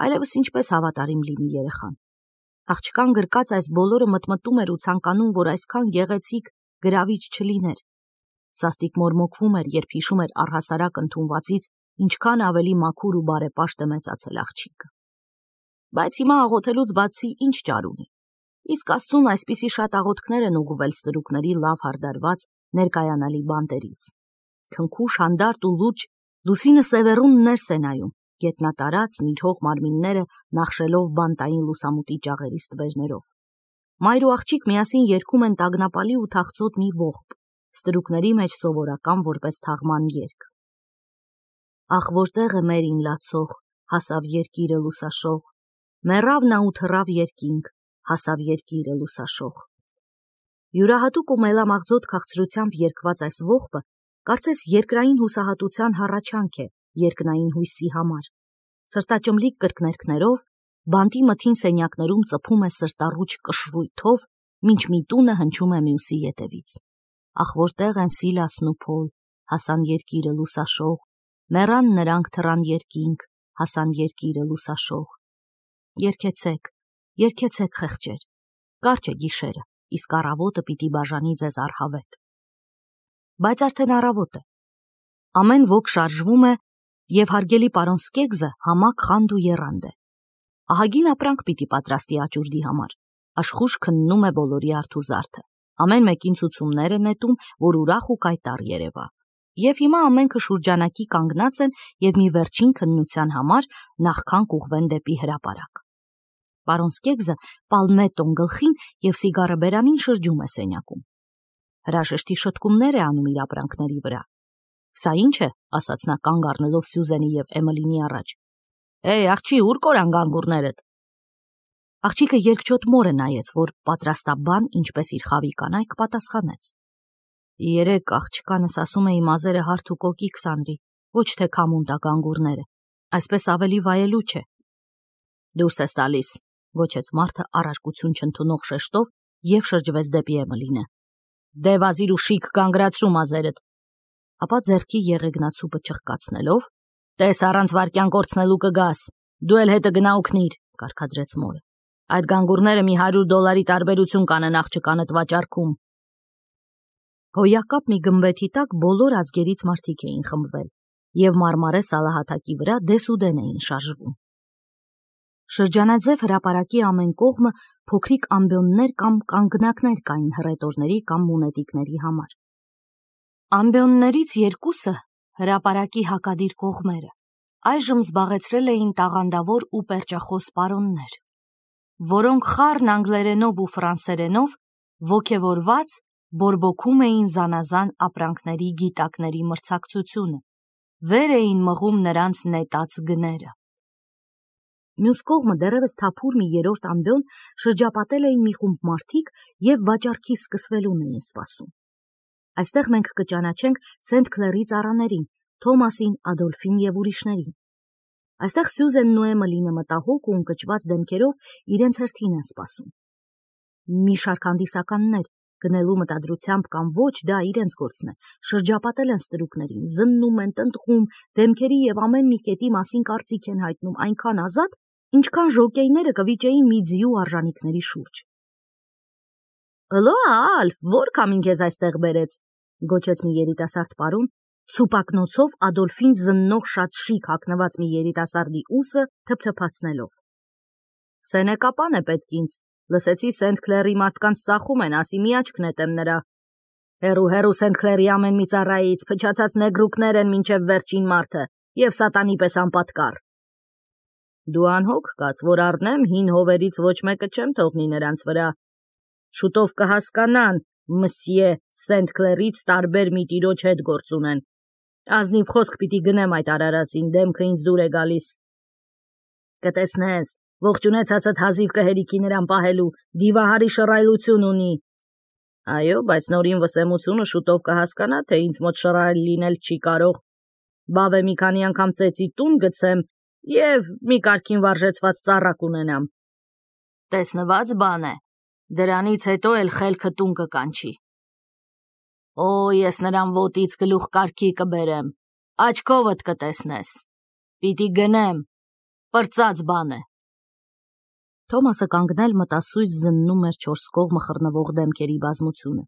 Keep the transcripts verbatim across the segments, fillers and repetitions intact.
այլևս ինչպես հավատարիմ լինի երեխան։ Աղջկան գրկած այս բոլորը մտմտում էր ու ցանկանում, որ այսքան գեղեցիկ գրավիչ չլիներ։ Սաստիկ մորմոքվում էր, երբ հիշում էր առհասարակ ընդունվածից, ինչքան ավելի մաքուր ու բարեպաշտ է մեծացել աղջիկը։ Բայց հիմա աղոթելուց բացի ինչ ճար ունի։ Իսկ Աստծուն այսպիսի շատ աղոթքներ են ուղղվել ստրուկների լավ հարդարված ներկայանալի բանտերից։ Քնքուշ, հանդարտ ու լուրջ Լուսինը սևեռուն ներս է նայում, գետնատարած նիջող մարմինները նախշելով բանտային լուսամուտի ճաղերի ստվերներով։ Մայր ու աղջիկ միասին երգում են տագնապալի ու թախծոտ մի ողբ, ստրուկների մեջ սովորական որպես թաղման երգ։ Ախ, որտեղ է մերին լացող, հասավ երկիրը լուսաշող, մեռավ նա ու թռավ երկինք, հասավ երկիրը լուսաշող։ Յուրահատուկ ու մելամաղձոտ քաղցրությամբ երգված այս ողբը կարծես երկրային հուսահատության հառաչանք է երկնային հույսի համար։ Սրտաճմլիկ կրկներկներով բանտի մթին սենյակներում ծփում է սրտառուչ կշռույթով, մինչ միտունը հնչում է մյուսի ետևից։ Ախ, որտեղ են Սիլասն ու Փոլ, հասան երկիրը լուսաշող, մեռան նրանք թռան երկինք, հասան երկիրը լուսաշող։ Երգեցեք, երգեցեք խեղճեր, կարճ է գիշերը, իսկ առավոտը պիտի բաժանի ձեզ առհավետ։ Բայց արդեն առավոտ է։ Ամեն ոք շարժվում է, եւ հարգելի պարոն Սկեգզը համակ խանդ ու եռանդ է։ Ահագին ապրանք պիտի պատրաստի աճուրդի համար, աշխուժ քննում է բոլորի արթուզարդը, ամեն մեկին ցուցումներ է նետում, որ ուրախ ու կայտառ երևա։ Եվ հիմա ամենքը շուրջանակի կանգնած են եւ մի վերջին քննության համար նախքան կուղվեն դեպի հրապարակ։ Պարոն Սկեգզը պալմետոն գլխին եւ սիգարը բերանին շրջում է սենյակում։ Հրաժեշտի շտկումներ է անում իր ապրանքների վրա։ Սա ինչ է, ասաց նա կանգ առնելով Սյուզենի եւ Էմելինի առաջ։ Էй, աղջի, ուր կորան գանգուրներդ։ Աղջիկը երկչոտ մորը նայեց, որ պատրաստաբան, ինչպես իր խավի կանայք, պատասխանեց։ Երեք աղջկանս ասում էի մազերը հարթ ու կոկիկ սանրի, ոչ թե քամուն տա գանգուրները, այսպես ավելի վայելու չէ։ Դուրս ես տալիս, գոչեց մարդը առարկություն չընդունող շեշտով եւ շրջվեց դեպի Էմելինը։ Դե վազիր ու շիկ գանգրացրու մազերդ։ Ապա ձեռքի եղեգնացուպը չղկացնելով, տես առանց վարքյան կորցնելու կգաս, դու էլ հետը գնա ու քնիր, կարգադրեց մորը։ Այդ գանգուրները մի հարյուր դոլարի տարբերություն կանեն աղջկանդ վաճառքում։ Հոյակապ մի գմբեթի տակ բոլոր ազգերից մարդիկ էին խմբվել եւ մարմարե սալահատակի վրա դեսուդեն էին շարժվում։ Շրջանաձև հրապարակի ամեն կողմը փոքրիկ ամբիոններ կամ կանգնակներ կային հռետորների կամ մունետիկների համար։ Ամբիոններից երկուսը հրապարակի հակադիր կողմերը այժմ զբաղեցրել էին տաղանդավոր ու պերճախոս պարոններ, որոնք խառն անգլերենով ու ֆրանսերենով ոգևորված բորբոքում էին զանազան ապրանքների գիտակների մրցակցությունը, վեր էին մղում նրանց նետած գները։ Մյուս կողմը դեռևս թափուր մի երրորդ ամբիոն շրջապատել էին մի խումբ մարդիկ եւ վաճառքի սկսվելուն էին սպասում։ Այստեղ մենք կճանաչենք Սենթ Քլերի ծառաներին, Թոմասին, Ադոլֆին եւ ուրիշներին։ Այստեղ Սյուզենն ու Էմելինը մտահոգ ու ընկճված դեմքերով իրենց հերթին են սպասում։ Մի շարք հանդիսականներ, գնելու մտադրությամբ կամ ոչ, դա իրենց գործն է, շրջապատել են ստրուկներին, զննում են, տնտղում, դեմքերի եւ ամեն մի կետի մասին կարծիք են հայտնում այնքան ազատ, ինչքան ժոկեյները կվիճեին մի ձիու արժանիքների շուրջ։ Ըլո, Ալֆ, որ կամին քեզ այստեղ բերեց, գոչեց մի երիտասարդ պարոն, ցուպակնոցով Ադոլֆին զննող շատ շիկ հագնված մի երիտասարդի ուսը թփթփացնելով։ Սենեկապան է պետք ինձ, լսեցի Սենթ Քլերի մարդկանց ծախում են, ասի մի աչք նետեմ նրա։ Հերու հերու Սենթ Քլերի ամեն մի ծառայից, փչացած նեգրուկներ են մինչև վերջին մարդը եւ սատանի պես անպատկառ։ Դու անհոգ կաց, որ առնեմ հին հովերից ոչ մեկը չեմ թողնի նրանց վրա։ Շուտով կհասկանան, մսье Սենթ Քլերից տարբեր մի տիրոջ հետ գործ ունեն։ Ազնիվ խոսք պիտի գնեմ այդ արարածին, դեմքը ինձ դուր է գալիս։ Կտեսնես, ողջունեցածդ հազիվ կհերիքի նրան պահելու, դիվահարի շռայլություն ունի։ Այո, բայց նորին վսեմությունը շուտով կհասկանա, թե ինձ մոտ շռայլ լինել չի կարող։ Բավ է մի քանի անգամ ծեծի տուն գցեմ եւ մի կարգին վարժեցված ծառա կունենամ։ Տեսնված բան է, դրանից հետո էլ խելքը տուն կկանչի։ Օ, ես նրան ոտից գլուխ կարգի կբերեմ, աչքովդ կտեսնես։ Պիտի գնեմ, պրծած բան է։ Թոմասը կանգնել մտասույզ զննում էր չորս կողմը խռնվող դեմքերի բազմությունը։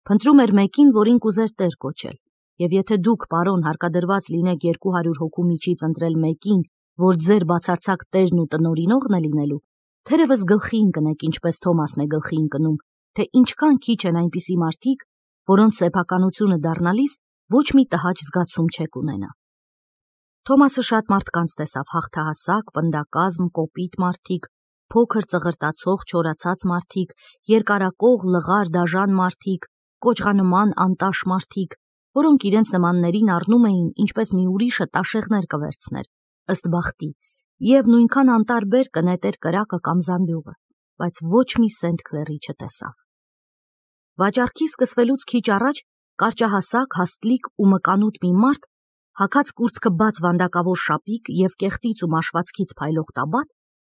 Փնտրում էր մեկին, որին կուզեր տեր կոչել, եւ եթե դուք, պարոն, հարկադրված լինեք երկու հարյուր հոգու միջից ընտրել մեկին, որ ձեր բացարձակ տերն ու տնօրինողն է լինելու, թերևս գլխի ընկնեք, ինչպես Թոմասն է գլխի ընկնում, թե ինչքան քիչ են այնպիսի մարդիկ, որոնց սեփականությունը դառնալիս ոչ մի տհաճ զգացում չեք ունենա։ Թոմասը շատ մարդկանց տեսավ, հաղթահասակ, պնդակազմ, կոպիտ մարդիկ, փոքր ծղրտացող, չորացած մարդիկ, երկարակող, լղար, դաժան մարդիկ, կոճղանման, անտաշ մարդիկ, որոնք իրենց նմաններին առնում էին, ինչպես մի ուրիշը տաշեղներ կվերցներ, ըստ բախտի, եւ նույնքան անտարբեր կնետեր կրակը կամ զամբյուղը, բայց ոչ մի Սենթ Քլերի չտեսավ։ Վաճառքի սկսվելուց քիչ առաջ կարճահասակ, հաստլիկ ու մկանուտ մի մարդ, հագած կուրծքը բաց վանդակավոր շապիկ եւ կեղտից ու մաշվածքից փայլող տաբատ,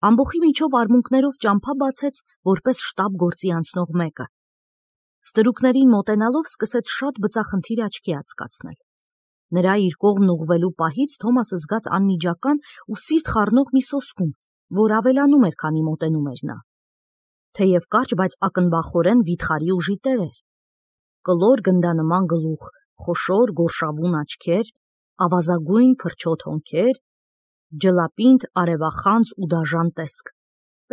ամբոխի միջով արմունկներով ճամփա բացեց, որպես շտապ գործի անցնող մեկը։ Ստրուկներին մոտենալով սկսեց շատ բծախնդիր աչքի ածկացնել։ Նրա իր կողմն ուղղվելու պահից Թոմասը զգաց անմիջական ու սիրտ խառնող մի սոսկում, որ ավելանում էր, քանի մոտենում էր նա։ Թեև կարճ, բայց ակնբախորեն վիթխարի ուժի տեր էր։ Կլոր գնդանման գլուխ, խոշոր գորշավուն աչքեր, ավազագույն փրչոտ հոնքեր, ջլապինդ, արևախանձ ու դաժան տեսք։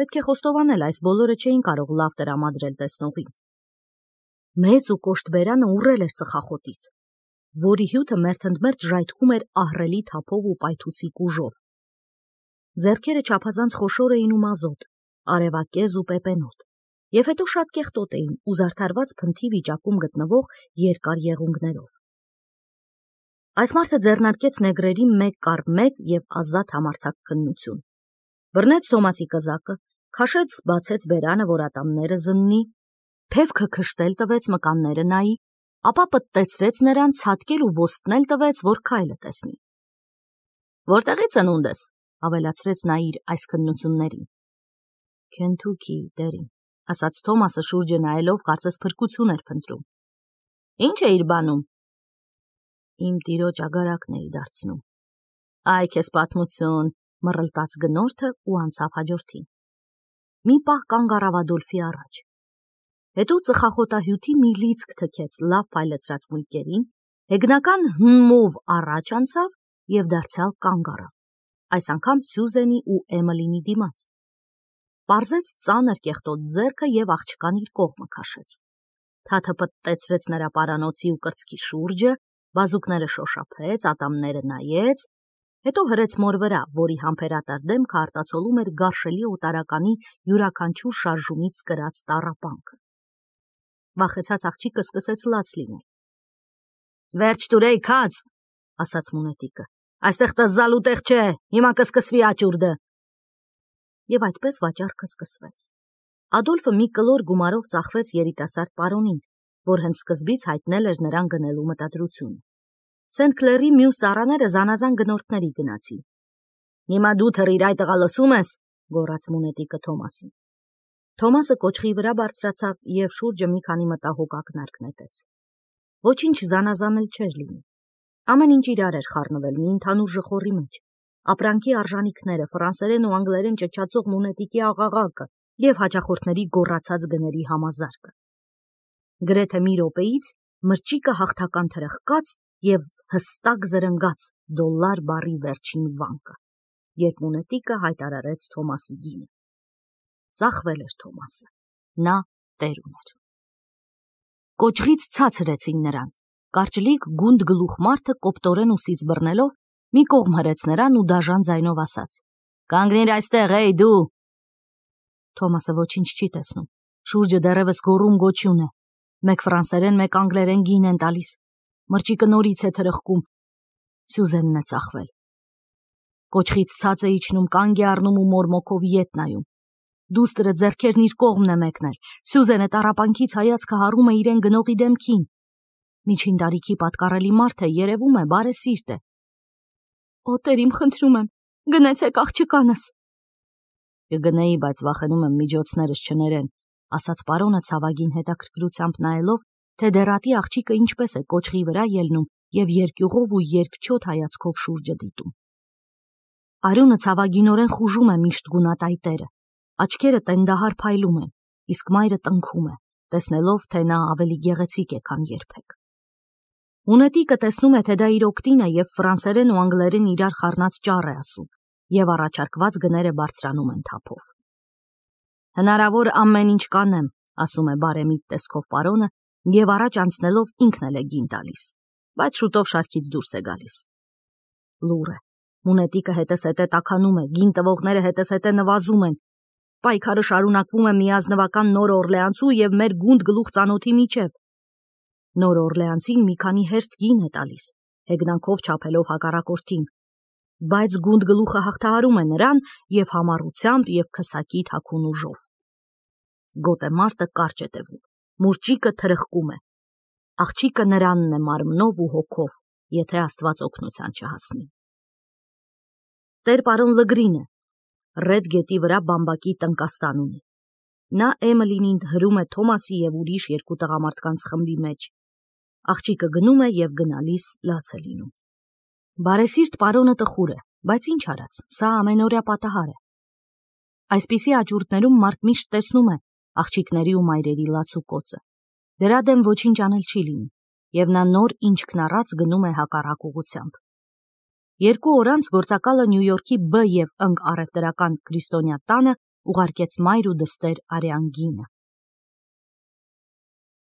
Պետք է խոստովանել, այս բոլորը չէին կարող լավ տրամադրել տեսնողին։ Մեծ ու կոշտ բերանը ուռել էր ծխախոտից, որի հյութը մերթընդմերթ ժայթքում էր ահռելի թափով ու պայթուցիկ ուժով։ Ձեռքերը չափազանց խոշոր էին ու մազոտ, արևակեզ ու պեպենոտ, եւ հետո շատ կեղտոտ էին ու զարդարված փնթի վիճակում գտնվող երկար եղունգներով։ Այս մարդը ձեռնարկեց նեգրերի մեկ կառ մեկ եւ ազատ համարձակ քննություն։ Բռնեց Թոմասի կզակը, քաշեց, բացեց բերանը, որ ատամները զննի, թևքը քշտել տվեց, մկանները նայի, ապա պտտեցրեց նրան, ցատկել ու ոստնել տվեց, որ քայլը տեսնի։ Որտեղից ծնունդ ես, ավելացրեց նա իր այս քննություններին։ Քենթուքի, դերին, ասաց Թոմասը շուրջը նայելով, կարծես փրկություն էր փնտրում։ Ինչ է իր բանում։ Իմ տիրոջ ագարակն էի դարձնում։ Այ քեզ պատմություն, մռլտաց գնորդը ու անցավ հաջորդին։ Մի պահ կանգ առավ Ադոլֆի առաջ։ Հետո ծխախոտահյութի մի լիցք թքեց լավ փայլեցրած մույկերին, հեգնական հմմով առաջ անցավ եւ դարձյալ կանգ առավ, այս անգամ Սյուզենի ու Էմիլինի դիմաց։ Պարզեց ծանր կեղտոտ ձեռքը եւ աղջկան իր կողմը քաշեց։ Թաթը պտտեցրեց նրա պարանոցի ու կրծքի շուրջը, բազուկները շոշափեց, ատամները նայեց, հետո հրեց մոր վրա, որի համբերատար դեմքը արտացոլում էր գարշելի օտարականի յուրաքանչյուր շարժումից կրած տառապանքը։ Վախեցած աղջիկը սկսեց լաց լինել։ Վերջ տուրեի քաց, ասաց մունետիկը, այստեղ տզալու տեղ չէ, հիմա կսկսվի աճուրդը։ Եվ այդպես վաճառքը սկսվեց։ Ադոլֆը մի կլոր գումարով ծախվեց երիտասարդ պարոնին, որ հենց սկզբից հայտնել էր նրան գնելու մտադրությունը։ Սենթ Քլերի մյուս ծառաները զանազան գնորդների գնացին։ Հիմա դու թռիր այդ տղա լսում ես, գոռաց մունետիկը Թոմասին։ Թոմասը կոճղի վրա բարձրացավ եւ շուրջը մի քանի մտահոգ ակնարկ նետեց։ Ոչինչ զանազանել չէր լինի։ Ամեն ինչ իրար էր խառնվել մի ընդհանուր ժխորի մեջ։ Ապրանքի արժանիքները, ֆրանսերեն ու անգլերեն ճչացող մունետիկի աղաղակը եւ հաճախորդների գոռացած գների համազարկը։ Գրեթե մի րոպեից մրճիկը հաղթական թրխկաց եւ հստակ զրնգաց դոլար բառի վերջին վանկը, երբ մունետիկը հայտարարեց Թոմասի գինը։ Ծախվել էր Թոմասը, նա տեր ուներ։ Կոճղից ցած հրեցին նրան, կարճլիկ գունդ գլուխ մարդը կոպտորեն ուսից բռնելով մի կողմ հրեց նրան ու դաժան ձայնով ասաց. Կանգնիր այստեղ, էй դու։ Թոմասը ոչինչ չի տեսնում, շուրջը դեռևս գոռում գոչյուն է, մեկ ֆրանսերեն, մեկ անգլերեն գին են տալիս, մրճիկը նորից է թրխկում, Սյուզենն է ծախվել։ Կոճղից ցած է իջնում, կանգ է առնում ու մորմոքով ետ նայում։ Դուստրը ձեռքերն իր կողմն է մեկնել, Սյուզենը տառապանքից հայացքը հառում է իրեն գնողի դեմքին։ Միջին տարիքի պատկառելի մարդ է, երևում է, բարեսիրտ է։ Օ, Տեր իմ, խնդրում եմ, գնացեք աղջկանս։ Կգնեի, բայց վախենում եմ միջոցներս չներեն, ասաց պարոնը ցավագին հետաքրքրությամբ նայելով, թե դեռատի աղջիկը ինչպես է կոճղի վրա ելնում եւ երկյուղով ու երկչոտ հայացքով շուրջը դիտում։ Արյունը ցավագինորեն խուժում է միշտ գունատայտերը, աչքերը տենդահար փայլում են, իսկ մայրը տնքում է, տեսնելով, թե նա ավելի գեղեցիկ է, քան երբեք։ Ունետիկը տեսնում է, թե դա իր օգտին է և ֆրանսերեն ու անգլերեն իրար խառնած ճառ է ասում, և առաջարկված գները բարձրանում են թափով։ Հնարավոր ամեն ինչ կանեմ, ասում է բարեմիտ տեսքով պարոնը և առաջ անցնելով ինքն էլ է գին տալիս, բայց շուտով շարքից դուրս է գալիս։ Լուռ է, Ունետիկը հետզհետե տաքանում է, գին տվողները հետզհետե նվազում են, պայքարը շարունակվում է միազնվական Նոր Օրլեանցու և մեր գունդ գլուխ ծանոթի միջև։ Նոր Օրլեանցին մի քանի հերթ գին է տալիս, հեգնանքով չափելով հակառակորդին, բայց գունդ գլուխը հաղթահարում է նրան և համառությամբ և քսակի թաքուն ուժով։ Գոտեմարտը կարճ է տևում, մուրճիկը թրխկում է, աղջիկը նրանն է մարմնով ու հոգով, եթե Աստված օգնության չհասնի։ Տեր-պարոն Լգրինը Ռեդ գետի վրա բամբակի տնկաստան ունի։ Նա Էմելինին հրում է Թոմասի և ուրիշ երկու տղամարդկանց խմբի մեջ։ Աղջիկը գնում է և գնալիս լաց է լինում։ Բարեսիրտ պարոնը տխուր է, բայց ինչ արած, սա ամենօրյա պատահար է։ Այսպիսի աճուրդներում մարդ միշտ տեսնում է աղջիկների ու մայրերի լաց ու կոծը։ Դրա դեմ ոչինչ անել չի լինի, և նա նոր ինչքն առած գնում է հակառակ ուղղությամբ։ Երկու օր անց գործակալը Նյու Յորքի Բ և Ընկ առևտրական քրիստոնյա տանը ուղարկեց մայր ու դստեր արյան գինը։